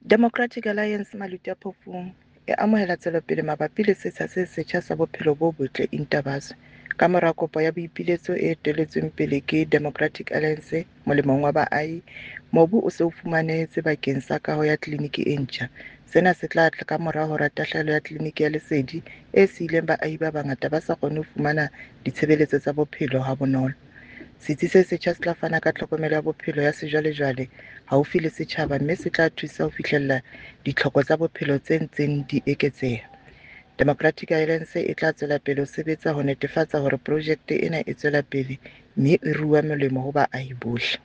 Democratic Alliance Maluti-a-Phofung e amohela tswelopele mabapi le setsha se setjha sa bophelo bo botle Intabazwe. Kamora kopo ya boipiletso e eteletsweng pele ke Democratic Alliance molemong wa baahi, mobu o se o fumanehetse bakeng sa kaho ya tleliniki e ntjha. Sena se tla tla kamora hora tahlehelo ya tleliniki ya Lesedi e siileng baahi ba bangata ba sa kgone ho fumana ditshebeletso tsa bophelo ha bonolo. Setsi se setjha se tla fana ka tlhokomelo ya bophelo ya sejwalejwale haufi le setjhaba mme se tla thusa ho fihlella ditlhoko tsa bophelo tse ntseng di eketseha. Democratic Alliance e tla tswela pele ho sebetsa ho netefatsa hore projekte ena e tswela pele mme e rua molemo ho baahi bohle.